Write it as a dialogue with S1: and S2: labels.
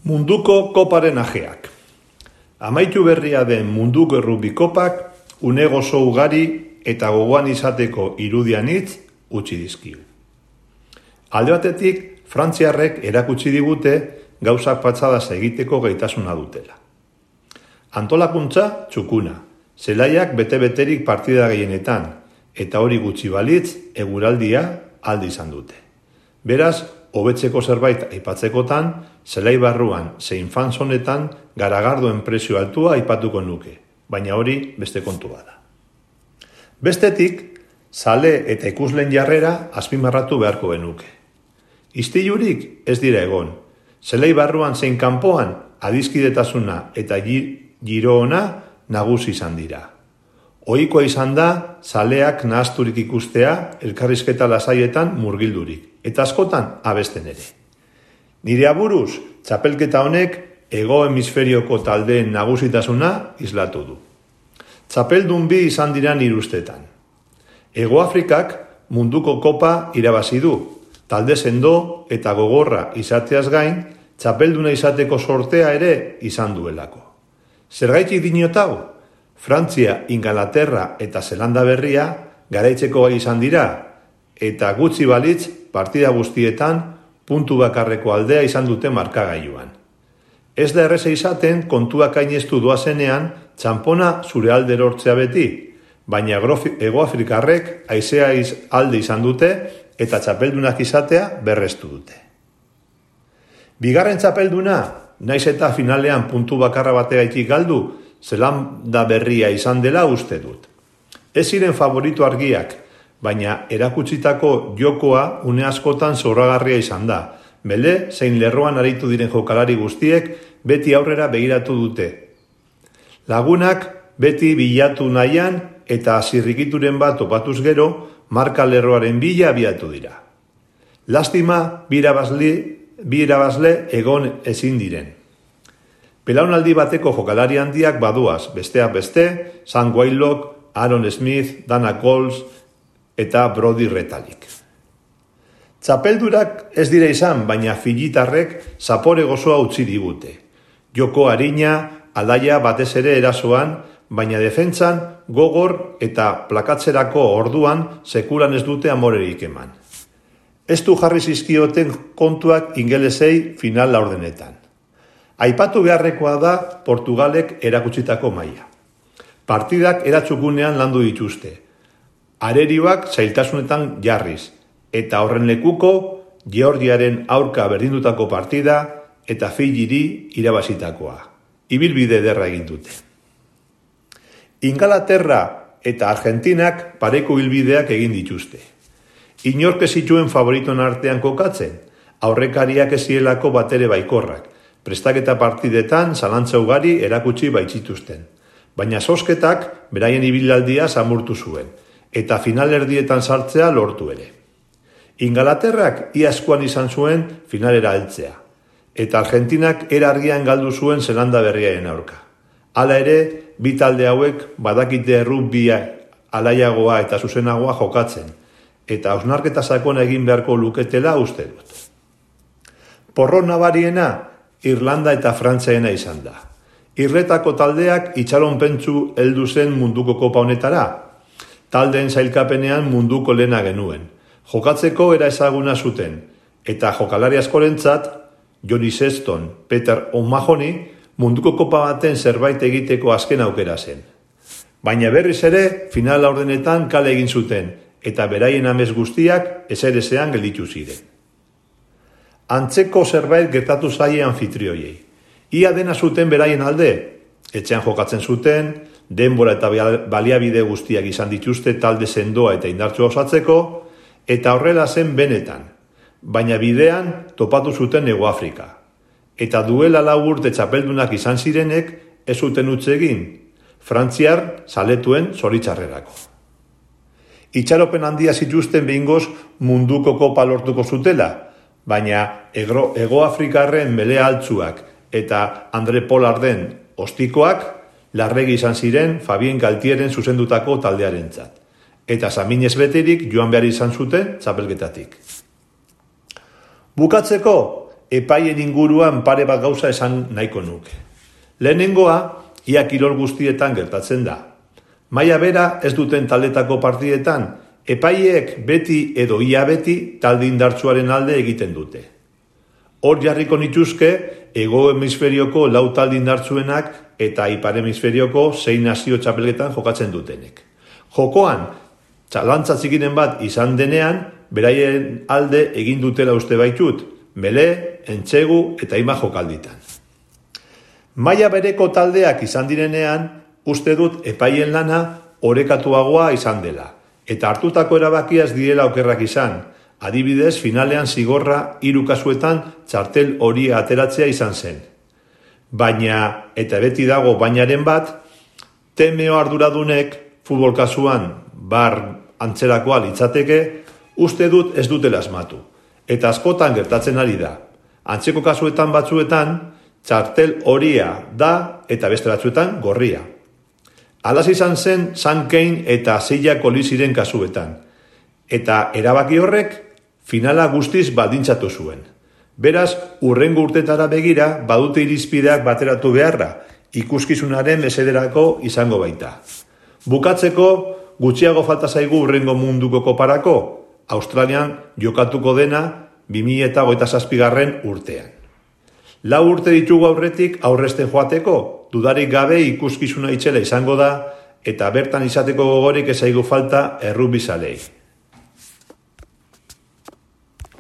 S1: Munduko koparen ajeak. Amaitu berria den munduko errugbi kopak une gozo ugari eta gogoan izateko irudianitz utzi dizkigu. Alde batetik, frantziarrek erakutsi digute gauzak patxadaz egiteko gaitasuna dutela. Antolakuntza txukuna, zelaiak bete-beterik partida gehienetan, eta hori gutxi balitz eguraldia aldi izan dute. Beraz, hobetzeko zerbait aipatzekotan, zelai barruan zein fanzonetan garagardoen prezio altua aipatuko nuke, baina hori beste kontu bada. Bestetik, zale eta ikusleen jarrera azpimarratu beharko genuke. Istilurik ez dira egon, zelai barruan zein kanpoan adiskidetasuna eta giro ona nagusi izan dira. Ohikoa izan da, zaleak nahazturik ikustea elkarrizketa lasaietan murgildurik, eta askotan abesten ere. Nire aburuz, txapelketa honek hego hemisferioko taldeen nagusitasuna islatu du. Txapeldun bi izan dira nire ustetan. Hego Afrikak munduko kopa irabazi du, talde sendo eta gogorra izateaz gain, txapelduna izateko sortea ere izan duelako. Zergaitik dinotau? Frantzia, Ingalaterra eta Zelanda berria garaitzeko gai izan dira, eta gutxi balitz partida guztietan puntu bakarreko aldea izan dute markagailuan. Ez da erreza izaten kontuak ainestu doazenean txanpona zure alde erortzea beti, baina Hego Afrikarrek haizea alde izan dute eta txapeldunak izatea berrestu dute. Bigarren txapelduna, naiz eta finalean puntu bakarra bategaitik galdu, Zelanda berria izan dela uste dut. Ez ziren favorito argiak, baina erakutsitako jokoa une askotan zoragarria izan da. Bele, zein lerroan aritu diren jokalari guztiek beti aurrera begiratu dute. Lagunak beti bilatu nahian eta zirrikituren bat topatuz gero, marka lerroaren bila abiatu dira. Lastima, bi irabazle egon ezin diren. Belaunaldi bateko jokalari handiak baduaz, besteak beste, Sam Whitelock, Aaron Smith, Dana Coles eta Brody Retallick. Txapeldurak ez dira izan, baina filitarrek zapore gozoa utzi digute. Joko arina, alaia batez ere erasoan, baina defentsan gogor eta plakatzerako orduan sekulan ez dute amorerik eman. Ez du jarri zizkioten kontuak ingelesei final laurdenetan. Aipatu beharrekoa da Portugalek erakutsitako maila. Partidak eratzukunean landu dituzte. Arerioak zailtasunetan jarriz, eta horren lekuko Georgiaren aurka berdindutako partida eta Fijiri irabazitakoa. Ibilbide ederra egin dute. Ingalaterra eta Argentinak pareko ibilbideak egin dituzte. Inork ez zituen favoritoen artean kokatzen, aurrekariak ez zielako batere baikorrak. Prestaketa partidetan zalantza ugari erakutsi baitzituzten. Baina zozketak beraien ibilaldia samurtu zuen, eta finalerdietan sartzea lortu ere. Ingalaterrak iazkoan izan zuen finalera heltzea, eta Argentinak argian galdu zuen Zelanda berriaren aurka. Hala ere, bi talde hauek badakite errugbia alaiagoa eta zuzenagoa jokatzen, eta hausnarketa sakona egin beharko luketela uste dut. Porro nabariena Irlanda eta Frantziaena izan da. Irretako taldeak itxaronpentsu heldu zen munduko kopa honetara. Taldeen sailkapenean munduko lehena genuen. Jokatzeko era ezaguna zuten, eta jokalari askorentzat, Johnny Sexton, Peter O'Mahony, munduko kopa baten zerbait egiteko azken aukera zen. Baina berriz ere, final laurdenetan kale egin zuten, eta beraien amez guztiak ezerezean gelditu ziren. Antzeko zerbait gertatu zaie anfitrioiei. Ia dena zuten beraien alde, etxean jokatzen zuten, denbora eta baliabide guztiak izan dituzte talde sendoa eta indartsua osatzeko, eta horrela zen benetan, baina bidean topatu zuten Hego Afrika. Eta duela 4 urte txapeldunak izan zirenek ez zuten utz egin, Frantziar zaletuen zoritxarrerako. Itxaropen handia zituzten behingoz munduko kopa lortuko zutela, baina Hego Afrikarren belea altzuak eta Andre Pollarden ostikoak larregi izan ziren Fabien Galtieren zuzendutako taldearentzat, eta saminez beterik joan behar izan zuten txapelketatik. Bukatzeko, epaien inguruan pare bat gauza esan nahiko nuke. Lehenengoa, ia kirol guztietan gertatzen da. Maila bera ez duten taldetako partidetan, epaileek beti edo ia beti talde indartsuaren alde egiten dute. Hor jarriko nituzke, hego hemisferioko 4 talde indartsuenak eta ipar hemisferioko 6 nazio txapelketan jokatzen dutenek. Jokoan, txalantza txikinen bat izan denean, beraien alde egin dutela uste baitut, Mele, Entsegu eta Ima jokalditan. Maila bereko taldeak izan direnean, uste dut epaien lana orekatuagoa izan dela, eta hartutako erabakia ez direla okerrak izan. Adibidez, finalean zigorra 3 kasuetan txartel hori ateratzea izan zen. Baina, eta beti dago bainaren bat, TMO arduradunek, futbol kasuan, bar antzerakoa litzateke, uste dut ez dutela asmatu. Eta askotan gertatzen ari da. Antzeko kasuetan batzuetan, txartel horia da eta beste batzuetan gorria. Alaz izan zen San Kein eta Silla Koliziren kasuetan. Eta erabaki horrek finala guztiz baldintzatu zuen. Beraz, hurrengo urtetara begira badute irizpideak bateratu beharra, ikuskizunaren mesederako izango baita. Bukatzeko, gutxiago falta zaigu hurrengo munduko koparako, Australian jokatuko dena 2027 urtean. 4 urte ditugu aurretik aurresten joateko, dudarik gabe ikuskizuna itxela izango da, eta bertan izateko gogorik ez zaigu falta errugbizalei.